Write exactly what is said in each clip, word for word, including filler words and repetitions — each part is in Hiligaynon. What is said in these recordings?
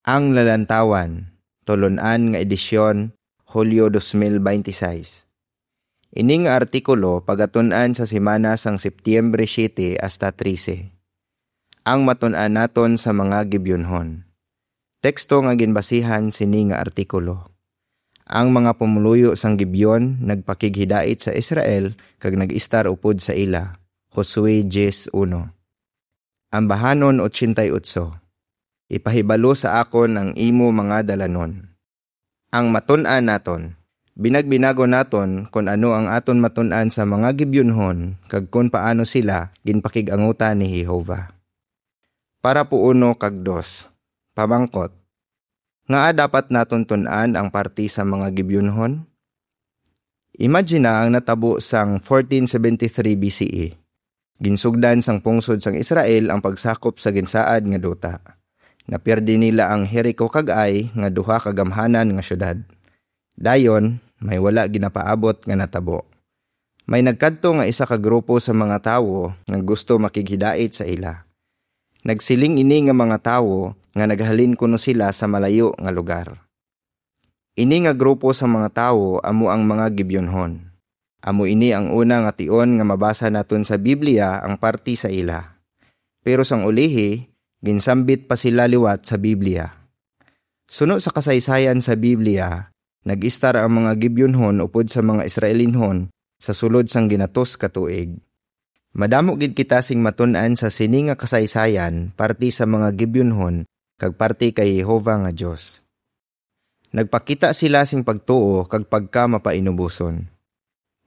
Ang Lalantawan, tulon-an nga edisyon, Hulyo dos mil beintiseis. Ini nga artikulo pagatun-an sa semana sang Setyembre siete hasta trese. Ang matun-an naton sa mga Gibeonhon. Teksto nga ginbasihan sini nga artikulo. Ang mga pumuluyo sang Gibeon nagpakighidait sa Israel kag nag-istar upod sa ila. Josue diyes uno. Ambahanon ochenta y ocho. Ipahibalo sa akon ang imo mga dalanon. Ang matun-an naton. Binagbinagon naton kon ano ang aton matun-an sa mga Gibeonhon kag kon paano sila ginpakig-angutan ni Jehovah. Parapo uno kag dos. Pamangkot. Ngaa dapat naton tun-an ang parti sa mga Gibeonhon? Imagina ang natabo sang fourteen seventy-three B C E. Ginsugdan sang pungsod sang Israel ang pagsakop sa ginsaad nga duta. Napiyerdi nila ang Jericho kag Ai nga duha ka gamhanan nga siyudad. Dayon, may wala ginapaabot nga natabo. May nagkadto nga isa ka grupo sa mga tawo nga gusto makighidait sa ila. Nagsiling ini nga mga tawo nga naghalin kuno sila sa malayo nga lugar. Ini nga grupo sa mga tawo amo ang mga Gibeonhon. Amo ini ang una nga tion nga mabasa naton sa Biblia ang parti sa ila. Pero sang ulihi, ginsambit pa sila liwat sa Biblia. Suno sa kasaysayan sa Biblia, nag-istar ang mga Gibeonhon upod sa mga Israelinhon sa sulod sang ginatos ka tuig. Madamo gid kita sing matun-an sa sini nga kasaysayan parti sa mga Gibeonhon kag parti kay Jehovah nga Dios. Nagpakita sila sing pagtuo kag pagkamapainuboson.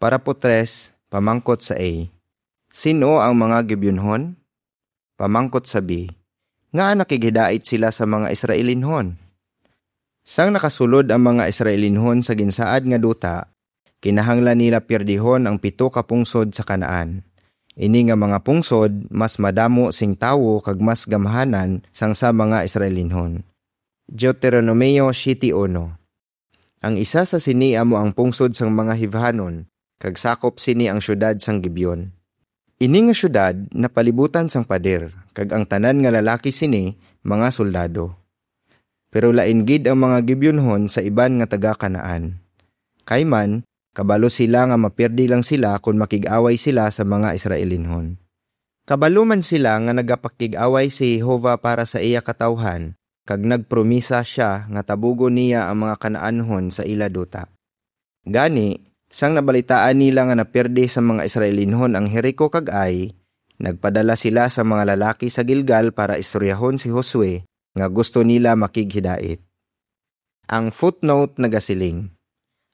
Parapo tres, pamangkot sa A. Sin-o ang mga Gibeonhon? Pamangkot sa B. Ngaa nakighidait sila sa mga Israelinhon? Sang nakasulod ang mga Israelinhon sa ginsaad nga duta, kinahanglan nila pierdihon ang pito ka pungsod sa Canaan. Ini nga mga pungsod mas madamo sing tawo kag mas gamhanan sang sa mga Israelinhon. Deuteronomio siete uno. Ang isa sa sini amo ang pungsod sang mga Hivhanon, kag sakop sini ang siyudad sang Gibeon. Ini nga siyudad napalibutan sang pader, kag ang tanan nga lalaki sini mga soldado. Pero lain gid ang mga Gibeonhon sa iban nga taga-Canaan. Kay man, kabalo sila nga mapiyerdi lang sila kon makig-away sila sa mga Israelinhon. Kabalo man sila nga nagapakig-away si Jehovah para sa iya katawuhan, kag nagpromisa sia nga tabugon niya ang mga Canaanhon sa ila duta. Gani, sang nabalitaan nila nga napiyerdi sa mga Israelinhon ang Jericho kag Ai, nagpadala sila sa mga lalaki sa Gilgal para istoryahon si Josue nga gusto nila makighidait. Ang footnote nagasiling,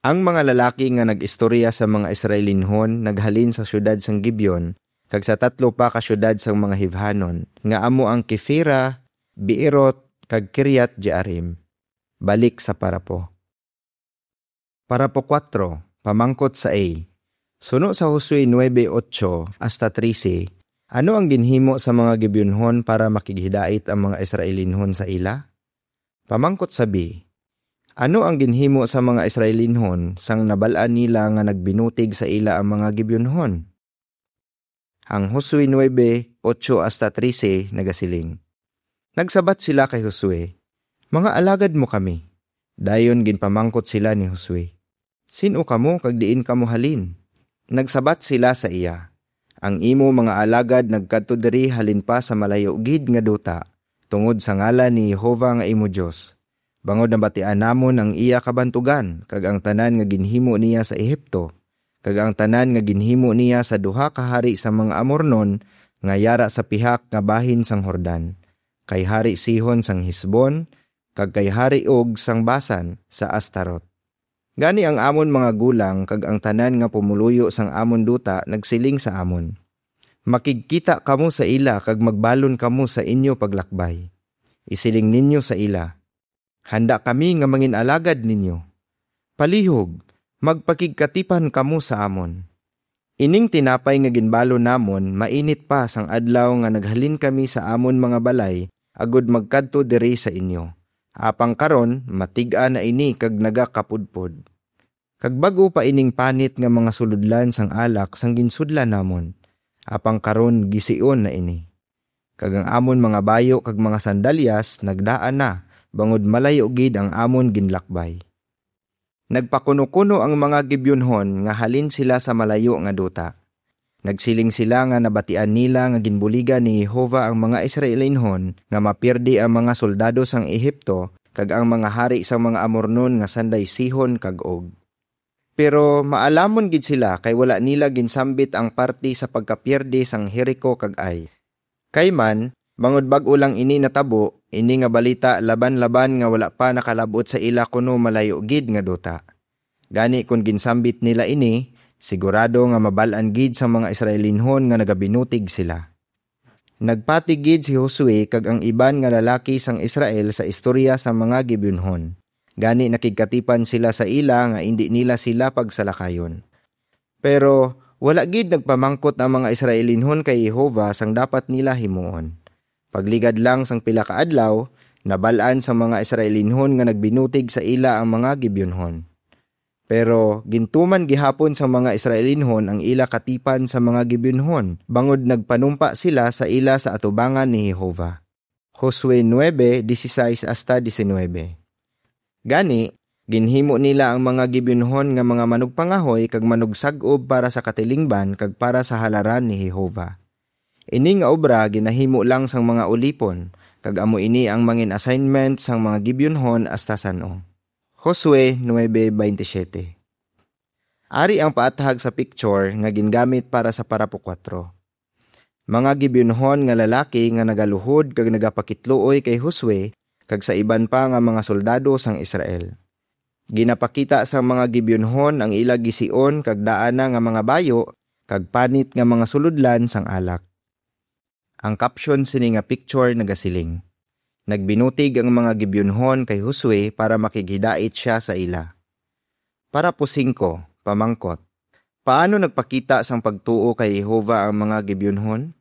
ang mga lalaki nga nag-istorya sa mga Israelinhon naghalin sa siyudad sang Gibeon kag sa tatlo pa ka siyudad sang mga Hivhanon, nga amo ang Kefira, Beerot, kag Kiriat-jearim. Balik sa parapo. Parapo kuwatro, pamangkot sa A. Suno sa Josue nuebe ocho hasta trese, ano ang ginhimo sa mga Gibeonhon para makighidait ang mga Israelinhon sa ila? Pamangkot sa B. Ano ang ginhimo sa mga Israelinhon sang nabal-an nila nga nagbinutig sa ila ang mga Gibeonhon? Ang Josue nuebe ocho hasta trese nagasiling, nagsabat sila kay Josue, "Mga alagad mo kami." Dayon ginpamangkot sila ni Josue, "Sin-o kamo kag diin kamo halin?" Nagsabat sila sa iya, "Ang imo mga alagad nagkadto diri halin pa sa malayo gid nga duta, tungod sa ngalan ni Jehovah nga imo Dios. Bangod nabatian namon ang iya kabantugan kag ang tanan nga ginhimo niya sa Egipto, kag ang tanan nga ginhimo niya sa duha ka hari sang mga Amornon nga yara sa pihak nga bahin sang Jordan, kay Hari Sihon sang Hesbon, kag kay Hari Og sang Basan sa Astarot. Gani ang amon mga gulang kag ang tanan nga pumuluyo sang amon duta nagsiling sa amon, 'Makigkita kamo sa ila kag magbalon kamo sa inyo paglakbay. Isiling ninyo sa ila, "Handa kami nga mangin-alagad ninyo. Palihog, magpakigkatipan kamo sa amon. Ining tinapay nga ginbalon namon mainit pa sang adlaw nga naghalin kami sa amon mga balay agod magkadto diri sa inyo. Apang karon, matig-a na ini kag nagakapudpod. Kag bag-o pa ining panit nga mga sulodlan sang alak sang ginsudlan namon, apang karon gision na ini. Kag ang amon mga bayo kag mga sandalyas nagdaan na, bangod malayo gid ang amon ginlakbay. Nagpakuno-kuno ang mga Gibeonhon nga halin sila sa malayo nga duta. Nagsiling sila nga nabatian nila nga ginbuligan ni Jehovah ang mga Israelinhon nga mapierde ang mga soldado sang Ehipto kag ang mga hari sang mga Amornon nga sanday Sihon kag Og. Pero maalamon gid sila kay wala nila ginsambit ang parti sa pagkapierde sang Jerico kag Ai. Kay man, bangod bag-o lang ini natabo, ini nga balita laban-laban nga wala pa nakalab-ot sa ila kuno malayo gid nga duta. Gani kon ginsambit nila ini, sigurado nga mabal-an gid sang mga Israelinhon nga nagabinutig sila. Nagpati gid si Josue kag ang iban nga lalaki sang Israel sa istorya sang mga Gibeonhon. Gani nakigkatipan sila sa ila nga indi nila sila pagsalakayon. Pero wala gid nagpamangkot ang mga Israelinhon kay Jehovah sang dapat nila himuon. Pagligad lang sang pila ka adlaw, nabal-an sang mga Israelinhon nga nagbinutig sa ila ang mga Gibeonhon. Pero gintuman gihapon sang mga Israelinhon ang ila katipan sa mga Gibeonhon, bangod nagpanumpa sila sa ila sa atubangan ni Jehovah. Josue nuebe, dieciséis hasta diecinuebe. Gani, ginhimo nila ang mga Gibeonhon nga mga manugpangahoy kag manugsag-ob para sa katilingban kag para sa halaran ni Jehovah. Ini nga obra ginahimo lang sang mga ulipon, kag amo ini ang mangin assignment sang mga Gibeonhon hasta san-o. Josue nuebe veintisiete. Ari ang paathag sa picture nga gingamit para sa parapo kuwatro. Mga Gibeonhon nga lalaki nga nagaluhod kag nagapakitluoy kay Josue kag sa iban pa nga mga soldado sang Israel. Ginapakita sang mga Gibeonhon ang ila gision kag daana nga mga bayo kag panit nga mga sulodlan sang alak. Ang caption sini nga picture nagasiling, "Nagbinutig ang mga Gibeonhon kay Josue para makighidait sia sa ila." Parapo singko, pamangkot, paano nagpakita sang pagtuo kay Jehovah ang mga Gibeonhon?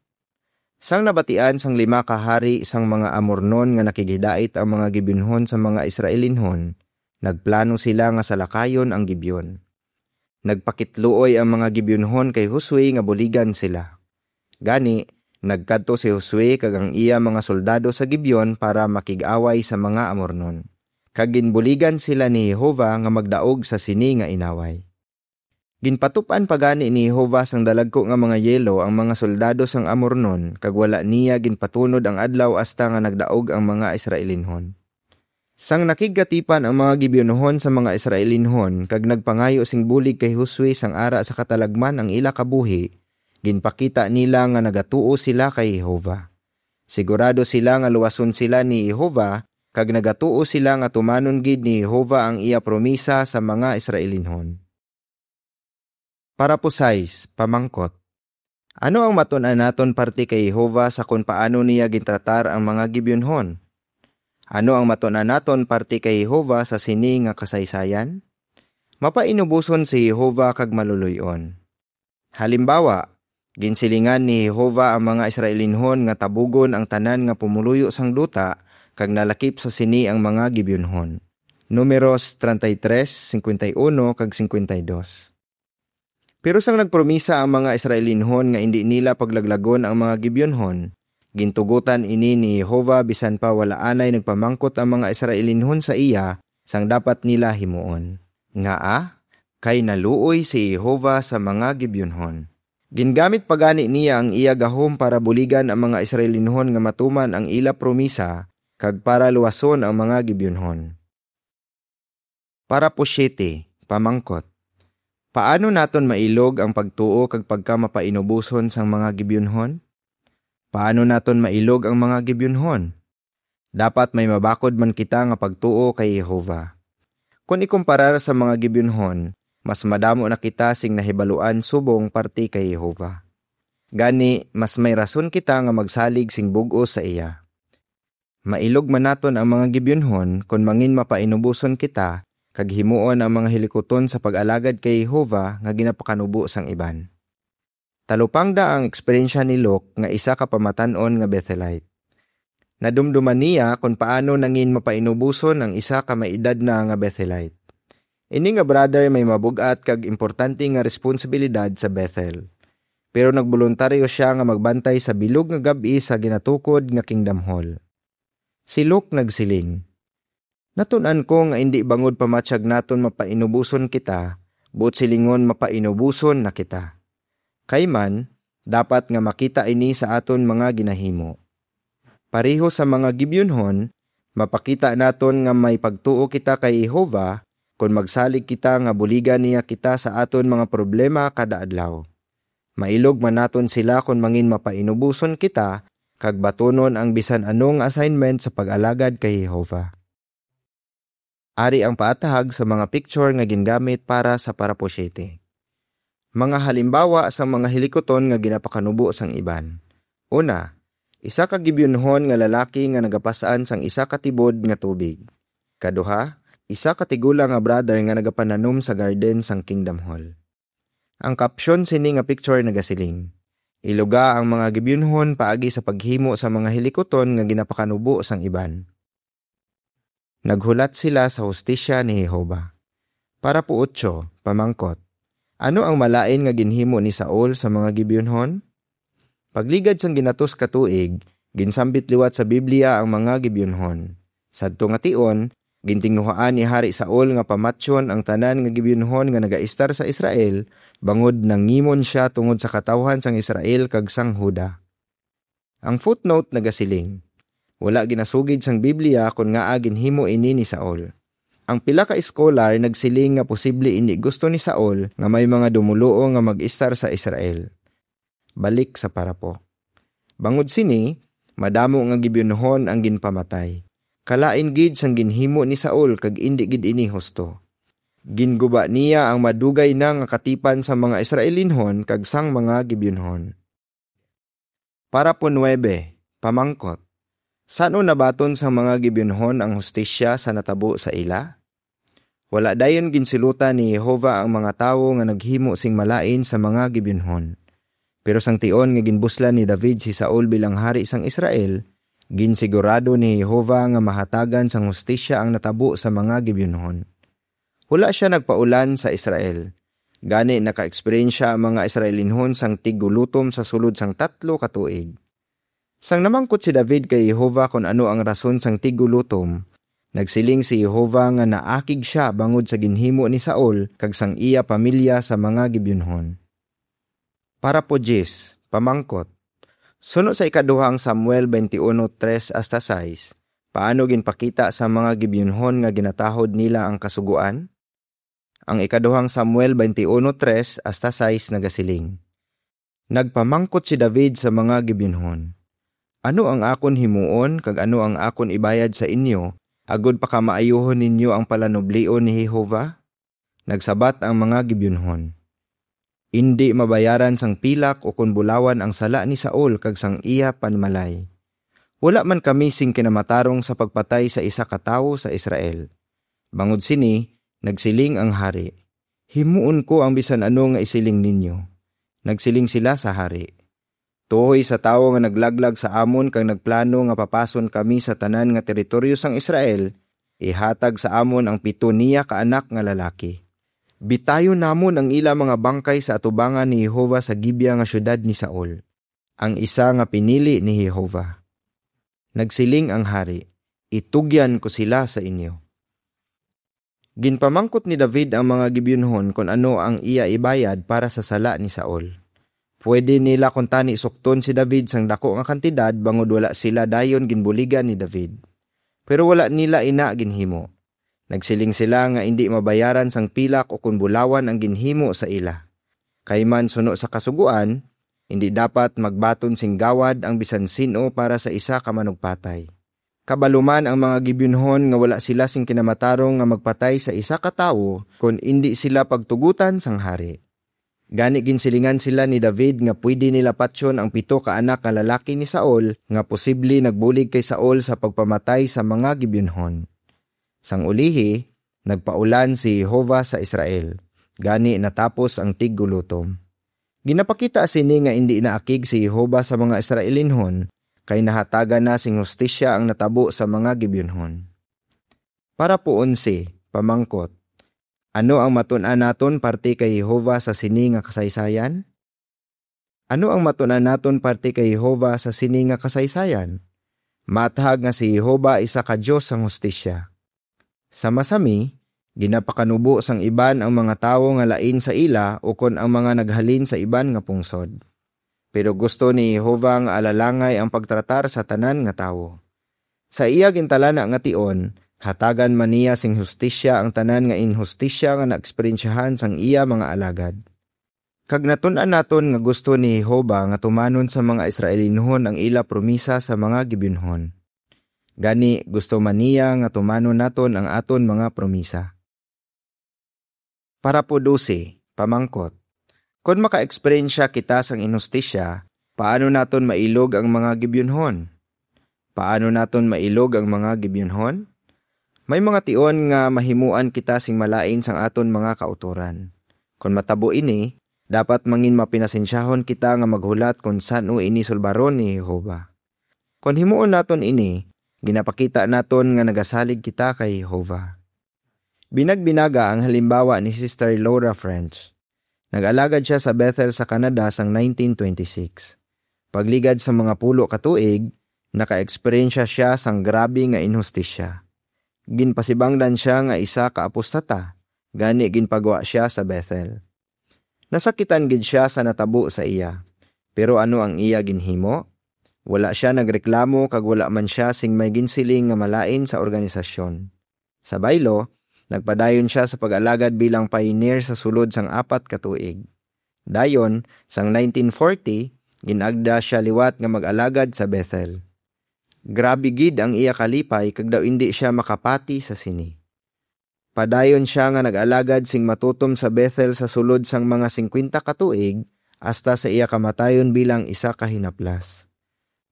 Sang nabatian sang lima ka hari sang mga Amornon nga nakighidait ang mga Gibeonhon sa mga Israelinhon, nagplano sila nga salakayon ang Gibeon. Nagpakitluoy ang mga Gibeonhon kay Josue nga buligan sila. Gani, nagkadto si Josue kag ang iya mga soldado sa Gibeon para makig-away sa mga Amornon. Kag ginbuligan sila ni Jehovah nga magdaog sa sini nga inaway. Ginpatup-an pa gani ni Jehovah sang dalagku nga mga yelo ang mga soldado sang Amornon, kag wala niya ginpatunod ang adlaw hasta nga nagdaog ang mga Israelinhon. Sang nakigkatipan ang mga Gibeonhon sa mga Israelinhon kag nagpangayo sing bulig kay Josue sang ara sa katalagman ang ila kabuhi, ginpakita nila nga nagatuo sila kay Jehovah. Sigurado sila nga luwason sila ni Jehovah, kag nagatuo sila nga tumanon gid ni Jehovah ang iya promisa sa mga Israelinhon. Parapo sais, pamangkot. Ano ang matun-an naton parte kay Jehovah sa kon paano niya gintratar ang mga Gibeonhon? Ano ang matun-an naton parte kay Jehovah sa sini nga kasaysayan? Mapainuboson si Jehovah kag maluloy-on. Halimbawa, ginsilingan ni Jehovah ang mga Israelinhon nga tabugon ang tanan nga pumuluyo sang duta, kag nalakip sa sini ang mga Gibeonhon. Numeros treinta y tres, cincuenta y uno, kag cincuenta y dos. Pero sang nagpromisa ang mga Israelinhon nga indi nila paglaglagon ang mga Gibeonhon, gintugotan ini ni Jehovah bisan pa wala anay nagpamangkot ang mga Israelinhon sa iya sang dapat nila himuon. Ngaa? Kay naluoy si Jehovah sa mga Gibeonhon. Gingamit pa gani niya ang iya gahom para buligan ang mga Israelinhon nga matuman ang ila promisa kag para luwason ang mga Gibeonhon. Parapo siete, pamangkot. Paano naton mailog ang pagtuo kag pagkamapainuboson sang mga Gibeonhon? Paano naton mailog ang mga Gibeonhon? Dapat may mabakod man kita nga pagtuo kay Jehovah. Kon ikumparar sa mga Gibeonhon, mas madamo na kita sing nahibaluan subong parte kay Jehovah. Gani, mas may rason kita nga magsalig sing bug-os sa iya. Mailog man naton ang mga Gibeonhon kon mangin mapainuboson kita kag himuon ang mga hilikuton sa pag-alagad kay Jehovah nga ginapakanubo sang iban. Talupangda ang eksperyensya ni Luke nga isa ka pamatan-on nga Bethelite. Nadumduman niya kon paano nangin mapainuboson ang isa ka may edad na nga Bethelite. Ini nga brother may mabug-at kag importante nga responsibilidad sa Bethel. Pero nagboluntaryo sia nga magbantay sa bilog nga gab-i sa ginatukod nga Kingdom Hall. Si Luke nagsiling, Natun-an ko nga indi bangod pamatyag naton mapainuboson kita, buot silingon mapainuboson na kita. Kay man, dapat nga makita ini sa aton mga ginahimo. Pareho sa mga Gibeonhon, mapakita naton nga may pagtuo kita kay Jehovah kon magsalig kita nga buligan niya kita sa aton mga problema kada adlaw. Mailog man naton sila kon mangin mapainuboson kita kag batunon ang bisan ano nga assignment sa pag-alagad kay Jehovah. Ari ang paatahag sa mga picture nga gingamit para sa parapo siete. Mga halimbawa sang mga hilikuton nga ginapakanubo sang iban. Una, isa ka Gibeonhon nga lalaki nga nagapas-an sang isa ka tibod nga tubig. Kaduha, isa ka tigulang nga brother nga nagapananom sa garden sang Kingdom Hall. Ang caption sini nga picture nagasiling, "Iluga ang mga Gibeonhon paagi sa paghimo sa mga hilikuton nga ginapakanubo sang iban." Naghulat sila sa hustisya ni Jehovah. Parapo otso, pamangkot, ano ang malain nga ginhimo ni Saul sa mga Gibeonhon? Pagligad sang ginatos ka tuig, ginsambit liwat sa Biblia ang mga Gibeonhon. Sadto nga tion, gintinguhaan ni Hari Saul nga pamatyon ang tanan nga Gibeonhon nga nagaistar sa Israel, bangod nangimon sia tungod sa katawhan sang Israel kag sang Juda. Ang footnote nagasiling, wala ginasugid sang Biblia kon ngaa ginhimo ini ni Saul. Ang pila ka scholar nagsiling nga posible indi gusto ni Saul nga may mga dumoluo nga mag-istar sa Israel. Balik sa parapo. Bangod sini, madamo nga Gibeonhon ang ginpamatay. Kalain gid sang ginhimo ni Saul kag indi gid ini husto. Ginguba niya ang madugay na nga katipan sang mga Israelinhon kag sang mga Gibeonhon. Parapo nuebe, pamangkot, san-o nabaton sang mga Gibeonhon ang hustisya sa natabo sa ila? Wala dayon ginsilutan ni Jehovah ang mga tawo nga naghimo sing malain sa mga Gibeonhon. Pero sang tion nga ginbuslan ni David si Saul bilang hari sang Israel, ginsigurado ni Jehovah nga mahatagan sang hustisya ang natabo sa mga Gibeonhon. Wala sia nagpaulan sa Israel. Gani, naka-eksperyensya ang mga Israelinhon sang tiggulotom sa sulod sang tatlo ka tuig. Sang namangkot si David kay Jehovah kon ano ang rason sang tiggulotom, nagsiling si Jehovah nga naakig sia bangod sa ginhimo ni Saul kag sang iya pamilya sa mga Gibeonhon. Parapo diyes, pamangkot, suno sa ikaduhang Samuel twenty-one tres hasta sais, paano ginpakita sa mga Gibeonhon nga ginatahod nila ang Kasugoan? Ang ikaduhang Samuel twenty-one tres hasta sais nagasiling, nagpamangkot si David sa mga Gibeonhon, "Ano ang akon himuon kag ano ang akon ibayad sa inyo, agod pakamaayuhon ninyo ang palanublion ni Jehovah?" Nagsabat ang mga Gibeonhon, "Indi mabayaran sang pilak ukon bulawan ang sala ni Saul kag sang iya panimalay. Wala man kami sing kinamatarong sa pagpatay sa isa ka tawo sa Israel." Bangod sini, nagsiling ang hari, "Himuon ko ang bisan ano nga isiling ninyo." Nagsiling sila sa hari, "Tuhoy sa tawo nga naglaglag sa amon kag nagplano nga papason kami sa tanan nga teritoryo sang Israel, ihatag sa amon ang pito niya ka anak nga lalaki. Bitayon namon ang ila mga bangkay sa atubangan ni Jehovah sa Gibea nga siyudad ni Saul, ang isa nga pinili ni Jehovah." Nagsiling ang hari, "Itugyan ko sila sa inyo." Ginpamangkot ni David ang mga Gibeonhon kon ano ang iya ibayad para sa sala ni Saul. Pwede nila kuntani sukton si David sang daku nga kantidad, bangod wala sila dayon ginbuligan ni David. Pero wala nila ina ginhimo. Nagsiling sila nga indi mabayaran sang pilak ukon bulawan ang ginhimo sa ila. Kay man, suno sa Kasugoan, indi dapat magbaton sing gawad ang bisan sin-o para sa isa ka manugpatay. Kabalo man ang mga Gibeonhon nga wala sila sing kinamatarong nga magpatay sa isa ka tawo kon indi sila pagtugotan sang hari. Gani, ginsilingan sila ni David nga pwede nila patyon ang pito ka anak nga lalaki ni Saul nga posible nagbulig kay Saul sa pagpamatay sa mga Gibeonhon. Sang ulihi, nagpaulan si Jehovah sa Israel, gani natapos ang tiggulotom. Ginapakita sini nga indi naakig si Jehovah sa mga Israelinhon, kay nahatagan na sing hustisya ang natabo sa mga Gibeonhon. Parapo onse, pamangkot, ano ang matun-an naton parte kay Jehovah sa sini nga kasaysayan? Ano ang matun-an naton parte kay Jehovah sa sini nga kasaysayan? Maathag nga si Jehovah isa ka Dios sang hustisya. Sa masami, ginapakanubo sang iban ang mga tawo nga lain sa ila ukon ang mga naghalin sa iban nga pungsod. Pero gusto ni Jehovah nga alalangay ang pagtratar sa tanan nga tawo. Sa iya gintalana nga tion, hatagan man niya sing hustisya ang tanan nga inhustisya nga naeksperyensyahan sang iya mga alagad. Kag natun-an naton nga gusto ni Jehovah nga tumanon sa mga Israelinhon ang ila promisa sa mga Gibeonhon. Gani, gusto man niya nga tumanon naton ang aton mga promisa. Parapo dose, pamangkot. Kon maka-eksperyensya kita sang inhustisya, paano naton mailog ang mga Gibeonhon? Paano naton mailog ang mga Gibeonhon? May mga tion nga mahimuan kita sing malain sang aton mga kautoran. Kon matabo ini, dapat mangin mapinasensyahon kita nga maghulat kon san-o ini sulbaron ni Jehovah. Kon himuon naton ini, ginapakita naton nga nagasalig kita kay Jehovah. Binagbinaga ang halimbawa ni Sister Laura French. Nag-alagad sia sa Bethel sa Canada sang nineteen twenty-six. Pagligad sa mga pulo ka tuig, naka-eksperyensya sia sang grabe nga inhustisya. Ginpasibangdan sia nga isa ka apostata, gani ginpagwa sia sa Bethel. Nasakitan gid sia sa natabo sa iya. Pero ano ang iya ginhimo? Wala sia nagreklamo kag wala man sia sing may ginsiling nga malain sa organisasyon. Sa baylo, nagpadayon sia sa pag-alagad bilang pioneer sa sulod sang apat ka tuig. Dayon, sang nineteen forty, gin-agda sia liwat nga mag-alagad sa Bethel. Grabe gid ang iya kalipay kag daw indi sia makapati sa sini. Padayon sia nga nag-alagad sing matutom sa Bethel sa sulod sang mga singkwenta ka tuig, hasta sa iya kamatayon bilang isa ka hinaplas.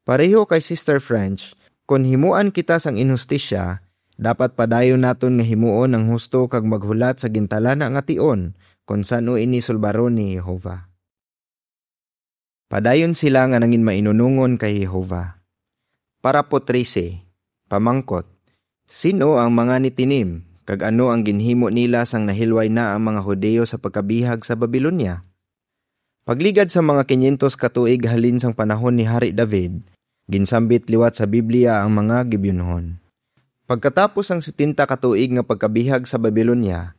Pareho kay Sister French, kon himuan kita sang inhustisya, dapat padayon naton nga himuon ang husto kag maghulat sa gintalana nga tion kon san-o ini sulbaron ni Jehovah. Padayon sila nga nangin mainunongon kay Jehovah. Parapo trese, pamangkot, sin-o ang mga Netinim, kag ano ang ginhimo nila sang nahilway na ang mga Hudiyo sa pagkabihag sa Babilonia? Pagligad sa mga kinyentos ka tuig halin sang panahon ni Hari David, ginsambit liwat sa Biblia ang mga Gibeonhon. Pagkatapos sang setenta ka tuig nga pagkabihag sa Babilonia,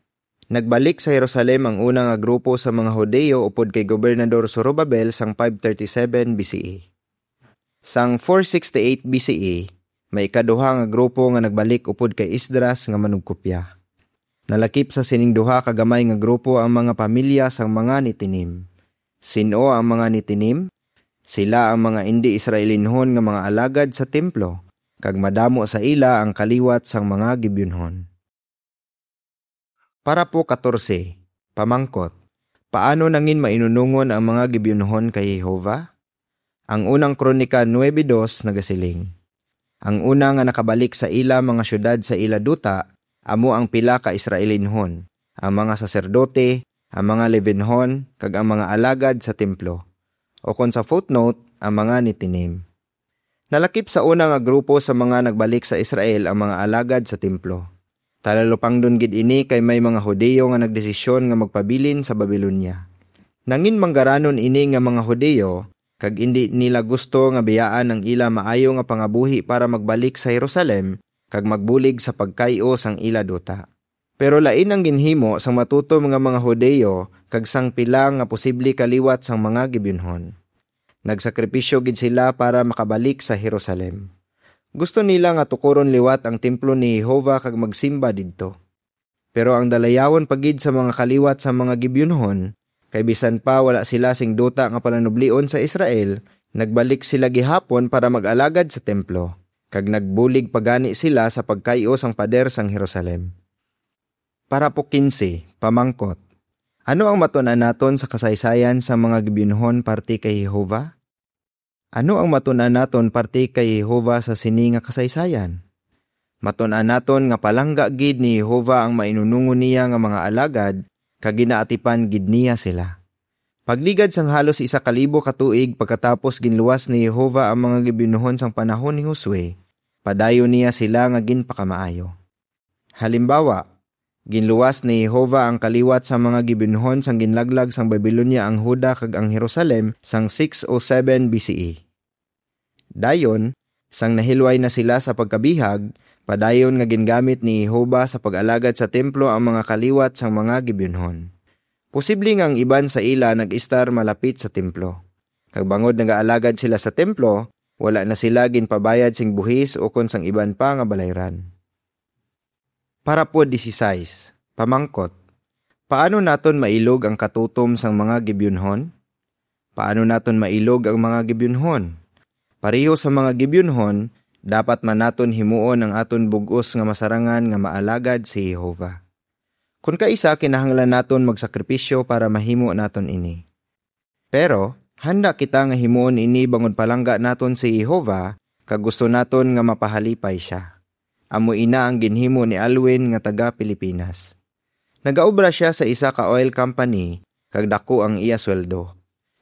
nagbalik sa Jerusalem ang una nga grupo sa mga Hudiyo upod kay Gobernador Zorobabel sang five thirty-seven B C E. Sang four sixty-eight B C E, may ikaduha nga grupo nga nagbalik upod kay Esdras nga manugkopya. Nalakip sa sining duha ka gamay nga grupo ang mga pamilya sang mga Netinim. Sin-o ang mga Netinim? Sila ang mga indi Israelinhon nga mga alagad sa templo, kag madamo sa ila ang kaliwat sang mga Gibeonhon. Parapo katorse, pamangkot, paano nangin mainunongon ang mga Gibeonhon kay Jehovah? Ang unang Kronika nuebe dos nagasiling, ang una nga nakabalik sa ila mga siyudad sa ila duta amo ang pila ka Israelinhon, ang mga saserdote, ang mga Levinhon, kag ang mga alagad sa templo, o kon sa footnote, ang mga Netinim. Nalakip sa una nga grupo sa mga nagbalik sa Israel ang mga alagad sa templo. Talalupangdon gid ini kay may mga Hudiyo nga nagdesisyon nga magpabilin sa Babilonia. Nangin manggaranon ini nga mga Hudiyo, kag indi nila gusto nga biyaan ang ila maayo nga pangabuhi para magbalik sa Jerusalem kag magbulig sa pagkay-o sang ila duta. Pero lain ang ginhimo sang matutom nga mga Hudiyo kag sang pila nga posible kaliwat sang mga Gibeonhon. Nagsakripisyo gid sila para makabalik sa Jerusalem. Gusto nila nga tukuron liwat ang templo ni Jehovah kag magsimba didto. Pero ang dalayawon pa gid sa mga kaliwat sa mga Gibeonhon, kay bisan pa wala sila sing duta nga palanublion sa Israel, nagbalik sila gihapon para mag-alagad sa templo, kag nagbulig pa gani sila sa pagkay-o sang pader sang Jerusalem. Parapo kinse, pamangkot, ano ang matun-an naton sa kasaysayan sang mga Gibeonhon parte kay Jehovah? Ano ang matun-an naton parte kay Jehovah sa sini nga kasaysayan? Matun-an naton nga palangga gid ni Jehovah ang mainunongon niya nga mga alagad, kag ginaatipan gid niya sila. Pagligad sang halos isa ka libo ka tuig pagkatapos, ginluwas ni Jehovah ang mga Gibeonhon sang panahon ni Josue. Padayon niya sila nga ginpakamaayo. Halimbawa, ginluwas ni Jehovah ang kaliwat sang mga Gibeonhon sang ginlaglag sang Babilonia ang Juda kag ang Jerusalem sang six oh seven B C E. Dayon, sang nahilway na sila sa pagkabihag, Padayon nga gingamit ni Jehovah sa pag-alagad sa templo ang mga kaliwat sang mga Gibeonhon. Posible nga ang iban sa ila nag-estar malapit sa templo, kag bangod nagaalagad sila sa templo, wala na sila ginpabayad sing buhis ukon sang iban pa nga balayran. Parapo dieciséis, pamangkot, paano naton mailog ang katutom sang mga Gibeonhon? Paano naton mailog ang mga Gibeonhon? Pareho sa mga Gibeonhon, dapat man naton himuon ang aton bug-os nga masarangan nga maalagad si Jehovah. Kon kaisa, kinahanglan naton magsakripisyo para mahimo naton ini. Pero handa kita nga himuon ini bangod palangga naton si Jehovah kag gusto naton nga mapahalipay sia. Amo ina ang ginhimo ni Alwin nga taga Pilipinas. Nagaobra sia sa isa ka oil company kag dako ang iya sweldo.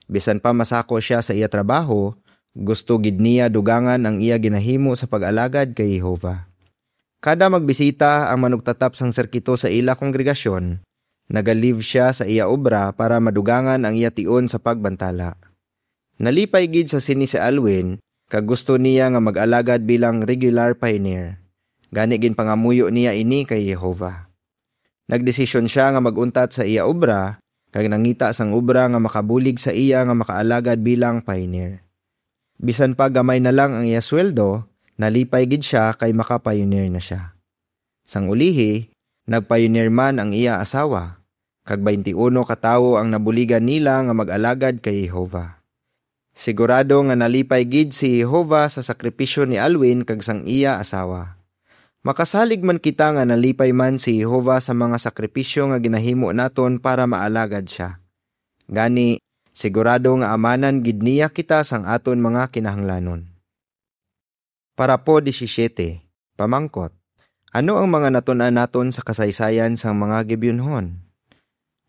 Bisan pa masako sia sa iya trabaho, gusto gid niya dugangan ang iya ginahimo sa pag-alagad kay Jehovah. Kada magbisita ang manugtatap sang sirkito sa ila kongregasyon, naga-leave sia sa iya obra para madugangan ang iya tion sa pagbantala. Nalipay gid sa sini si Alwin, kag gusto niya nga mag-alagad bilang regular pioneer. Gani ginpangamuyo niya ini kay Jehovah. Nagdesisyon sia nga mag-untat sa iya obra, kag nangita sang obra nga makabulig sa iya nga makaalagad bilang pioneer. Bisan pa gamay na lang ang iya sweldo, nalipay gid sia kay maka-pioneer na sia. Sang ulihi, nag-pioneer man ang iya asawa, kag twenty-uno ka tawo ang nabuligan nila nga mag-alagad kay Jehovah. Sigurado nga nalipay gid si Jehovah sa sakripisyo ni Alwin kag sang iya asawa. Makasalig man kita nga nalipay man si Jehovah sa mga sakripisyo nga ginahimo naton para maalagad sia. Gani, sigurado nga amanan gid niya kita sang aton mga kinahanglanon. Parapo disisyete, pamangkot, ano ang mga natun-an naton sa kasaysayan sang mga Gibeonhon?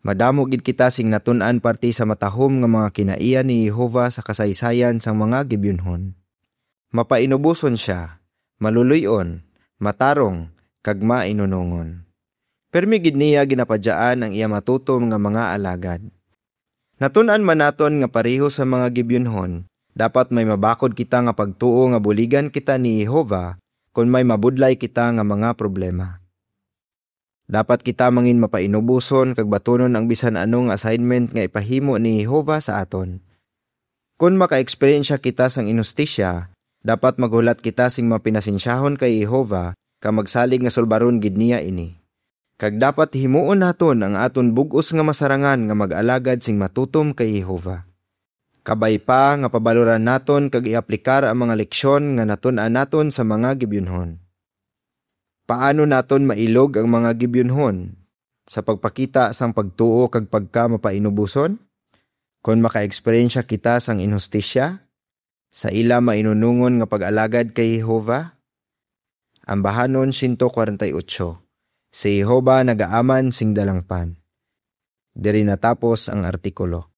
Madamo gid kita sing natun-an parte sa matahom nga mga kinaiya ni Jehovah sa kasaysayan sang mga Gibeonhon. Mapainuboson sia, maluloy-on, matarong, kag mainunongon. Pirmi gid niya ginapadyaan ang iya matutom nga mga alagad. Natun-an man naton nga pareho sa mga Gibeonhon, dapat may mabakod kita nga pagtuo nga buligan kita ni Jehovah kon may mabudlay kita nga mga problema. Dapat kita mangin mapainuboson kag batunon ang bisan ano nga assignment nga ipahimo ni Jehovah sa aton. Kon maka-eksperyensya kita sang inhustisya, dapat maghulat kita sing mapinasensyahon kay Jehovah kag magsalig nga sulbaron gid niya ini. Kag dapat himuon naton ang aton bug-os nga masarangan nga mag-alagad sing matutom kay Jehovah. Kabay pa nga pabaloran naton kag i-aplikar ang mga leksyon nga natun-an naton sa mga Gibeonhon. Paano naton mailog ang mga Gibeonhon? Sa pagpakita sang pagtuo kag pagkamapainuboson? Kon maka-eksperyensya kita sang inhustisya sa ila mainunongon nga pag-alagad kay Jehovah? Ambahanon siyento kwarenta y ocho, si Jehovah nagaaman sing dalangpan. Diri natapos ang artikulo.